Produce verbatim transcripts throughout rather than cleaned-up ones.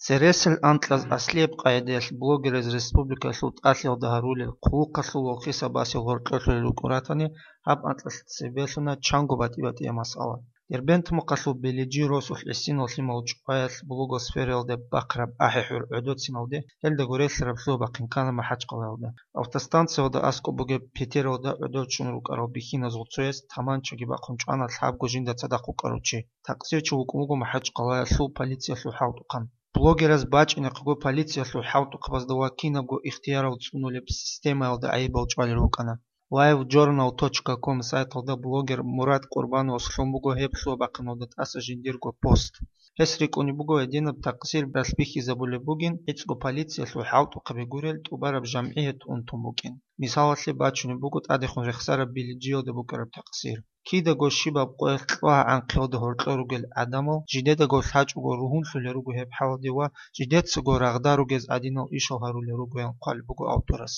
Цересел анкьаз аслияб къагӀидаялъ блогераз республикалъул тӀалъиялда гьарулел хъулухъалъул ва хисабасел гьоркьолъулел рукӀун ратани, гьаб анкьалъ цебе лъуна чанго батӀи-батӀияб масъала. Дербент мухъалъул Белиджи росулъ гӀисинал лъимал чӀваялъ блогосфераялда бахъараб ахӀи-хӀур гӀодоциналде, гьелдаго релълъараб лъугьа-бахъин ккана МахӀачкъалаялда. Автостанциялда аскӀоб бугеб петералда гӀодов чӀун рукӀарал бихьиназул цояс таманчаги бахъун чӀвана лъабго жинда цадахъ вукӀарав чи. Такъсирчи вукӀун вуго МахӀачкъалаялъул полициялъул хӀалтӀухъан. Блогераз бачӀинехъего полициялъул хӀалтӀухъабазда ва кинабго ихтиярал цӀунулеб системаялда гӀайибал чӀвалел рукӀана. Live journal точка com сайталда блогер Мурад Къурбановас лъун буго гьеб лъугьа-бахъиналда тӀаса жиндирго пост. Гьес рикӀкӀунеб буго гьединаб такъсир ралъбихьизабулеб бугин, гӀицӀго полициялъул хӀалтӀухъаби гурел тӀубараб жамгӀият унтун букӀин. Мисалалъе бачунеб буго тӀадехун рехсараб Билиджиялда букӀараб такъсир. Кидаго щибаб къоялъ кьвагьа гӀанхъиялда гьоркьор ругел гӀадамал жидедаго лъачӀого ругьунлъулел руго гьеб хӀалалде ва жидецаго рагъда ругез гӀадинал ишал гьарулел ругоян хъвалеб буго авторас.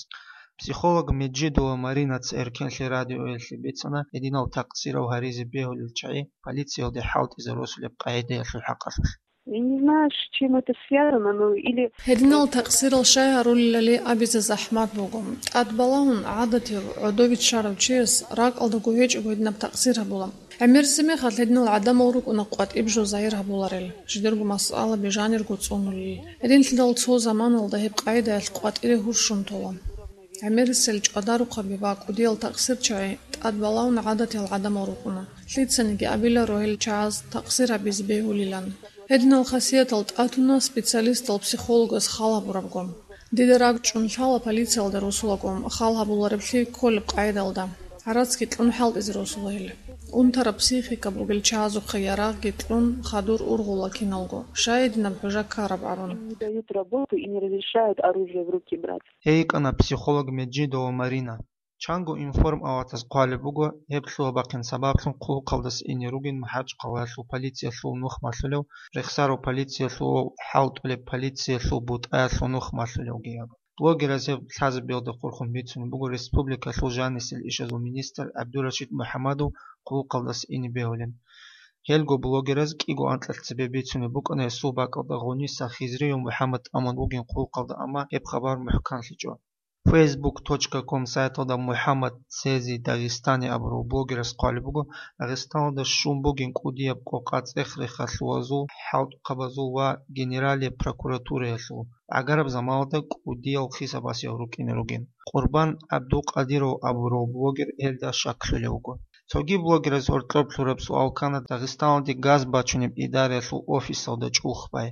Психолог Меджидова Маринаца Эркенлъи радиоялъе бицана гьединал такъсирал гьаризе бегьулел чагӀи полициялде хӀалтӀизе росулеб къагӀидаялъул хӀакъалъулъ. Я не знаю, с чем это связано, но или Гьединал такъсирал щай гьарулелали абизе захӀмат буго. ТӀадбалаун гӀадатив, гӀодовиччарав чияс ракӀалдаго гьечӀого гьединаб такъсир гьабула. ГӀемерисеб мехалъ гьединал гӀадамал рукӀуна къватӀиб жо загьир гьабуларел, жидерго масъалаби жанирго цӀунулел. Гьединлъидал цо заманалда гьеб къагӀидаялъ къватӀире гьурщун тола. ГӀемерисел чӀвадарухъаби ва кӀудиял такъсирчагӀи тӀадбалаун гӀадатиял гӀадамал рукӀуна. Лъицаниги абиларо гьел чагӀаз такъсир гьабизе бегьулилан. Гьединал хасиятал тӀатуна специалистал психологас хал гьабурабго. Дида ракӀчӀун лъала полициялда росулаго хал гьабулареблъи кколеб къагӀидалда. ГӀарацги кьун хӀалтӀизе росула гьел. Унтараб психика бугел чагӀазухъе ярагъги кьун хадур ургъула киналго, щай гьединаб хӀужа ккараб абун. Не дают работу и не разрешают оружие в руки брать. Гьей йикӀана психолог Меджидова Марина. Чанго информаватаз хъвалеб буго, гьеб лъугьа-бахъин сабаблъун хъулухъалдаса ине ругин МахӀачкъалаялъул полициялъул нух малъулев, рехсарав полициялъул ва хӀалтӀулеб полициялъул бутӀаялъул нух малъулевги абун. Блогераз гьеб лъазабиялда хурхун бицунеб буго республикалъул жанисел ишазул министр ГӀабдурашид МухӀамадов хъулухъалдаса ине бегьулин. Гьелго блогераз кӀиго анкьалъ цебе бицунеб букӀана гьесул бакӀалда Гъуниса Хизриев МухӀамад тӀамун вугин хъулухъалда, амма гьеб хабар мухӀканлъичӀо. Facebook точка com сайталда МухӀаммад Цези Дагъистани абурав блогерас хъвалеб буго, Дагъистаналда щун бугин кӀудияб къокъа цӀех-рехалъуазул, хӀалтӀухъабазул ва Генералия прокуратураялъул. ГӀагараб заманалда кӀудиял хисабасел рукӀине ругин. Къурбан ГӀабдулкъадиров абурав блогер гьелда щаклъулев вуго. Цоги блогераз гьоркьоб лъураб суал ккана Дагъистаналде газ бачунеб идараялъул офисалда чӀухӀ бай.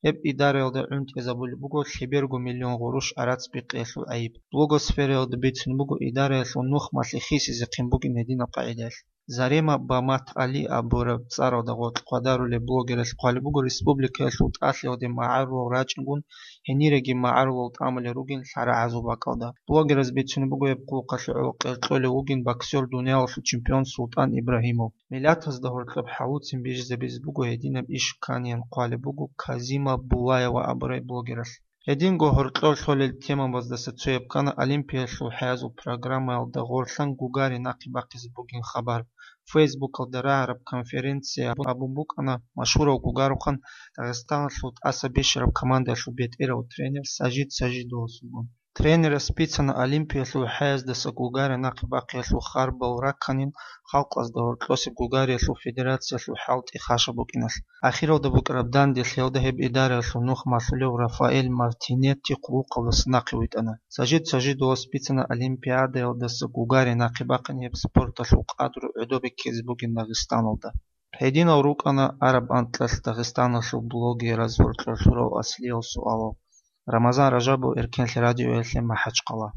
Гьеб идараялда гӀунтӀизабулеб буго лъеберго миллион гъурущ гӀарац бикъиялъул гӀайиб. Блогосфераялда бицун буго идараялъул нух малъи хисизехъин бугин гьединаб къагӀидаялъ. Зарема Бамат Али абураб цӀаралда гъоркь хъвадарулеб блогералъ хъвалеб буго, республикаялъул тӀалъиялде магӀарулал рачӀингун, гьениреги магӀарулал тӀамулел ругин лъарагӀазул бакӀалда. Блогераз бицунеб буго гьеб хъулухъалъе гӀоло къеркьолев вугин боксер, дуниялалъул чемпион Султан Ибрагьимов. Миллатазда гьоркьоб хӀалуцин бижизабизе буго гьединаб иш кканин хъвалеб буго Казима Булаева абурай блогералъ. Гьединго гьоркьор лъолел темабаздаса цояб ккана Олимпиялъул хӀязул программаялда гъорлъан гугари нахъе бахъизе бугин хабар. Фейсбукалда рагӀараб конференция абун букӀана машгьурав гугарухъан Дагъистаналъул тӀаса бищараб командаялъул бетӀерав тренер Сажид Сажидовасулгун. Тренерас бицана Олимпиялъул хӀездаса гугари нахъе бахъиялъул харбал ракканин халкъазда гьоркьосеб гугариялъул федерациялъул хӀалтӀи хашаб букӀиналъ. Ахиралда букӀараб данделъиялда гьеб идараялъул нух малъулев Рафаэль Мартинетти хъулухъалдаса нахъе витӀана. Сажид Сажидовас бицана Олимпиадаялдаса гугари нахъе бахъин гьеб спорталъул къадру гӀодобе ккезе бугин Дагъистаналда. Гьединал рукӀана араб анкьалъ Дагъистаналъул блогераз гьоркьор лъурал аслиял суалал. Рамазан Ражабов, Эркенлъи радиоялъе, МахӀачкъала.